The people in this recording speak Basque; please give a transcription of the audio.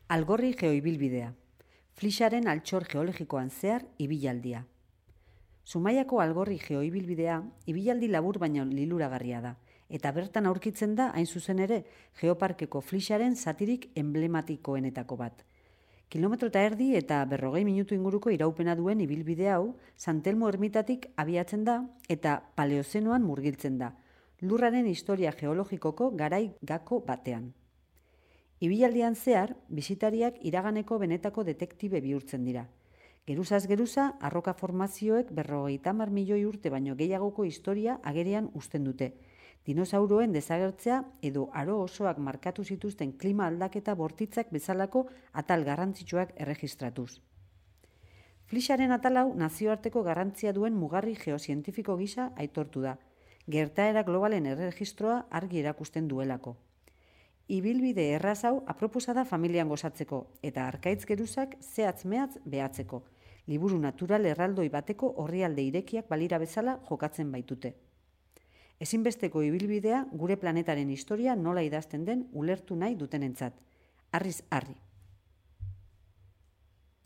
Algorri geoibilbidea. Flixaren altxor geologikoan zehar ibilaldia. Zumaiako Algorri geoibilbidea ibilaldi labur baino liluragarria da, eta bertan aurkitzen da hain zuzen ere Geoparkeko Flixaren zatirik emblematikoenetako bat. Kilometro eta erdi eta 40 minutu inguruko iraupena duen ibilbide hau San Telmo ermitatik abiatzen da eta Paleozenoan murgiltzen da, lurraren historia geologikoko garai gako batean. Ibilaldian zehar, bisitariak iraganeko benetako detektibe bihurtzen dira. Geruzaz geruza, arroka formazioek 50 milioi urte baino gehiagoko historia agerian uzten dute. Dinosauroen desagertzea edo aro osoak markatu zituzten klima aldaketa bortitzak bezalako atal garrantzitsuak erregistratuz. Flixaren atal hau nazioarteko garrantzia duen mugarri geozientifiko gisa aitortu da, gertaera globalen erregistroa argi erakusten duelako. Ibilbide erraz hau aproposa da familian gozatzeko eta arkaitz geruzak zehatz-mehatz behatzeko. Liburu natural erraldoi bateko orrialde irekiak balira bezala jokatzen baitute. Ezinbesteko ibilbidea gure planetaren historia nola idazten den ulertu nahi dutenentzat. Harriz harri.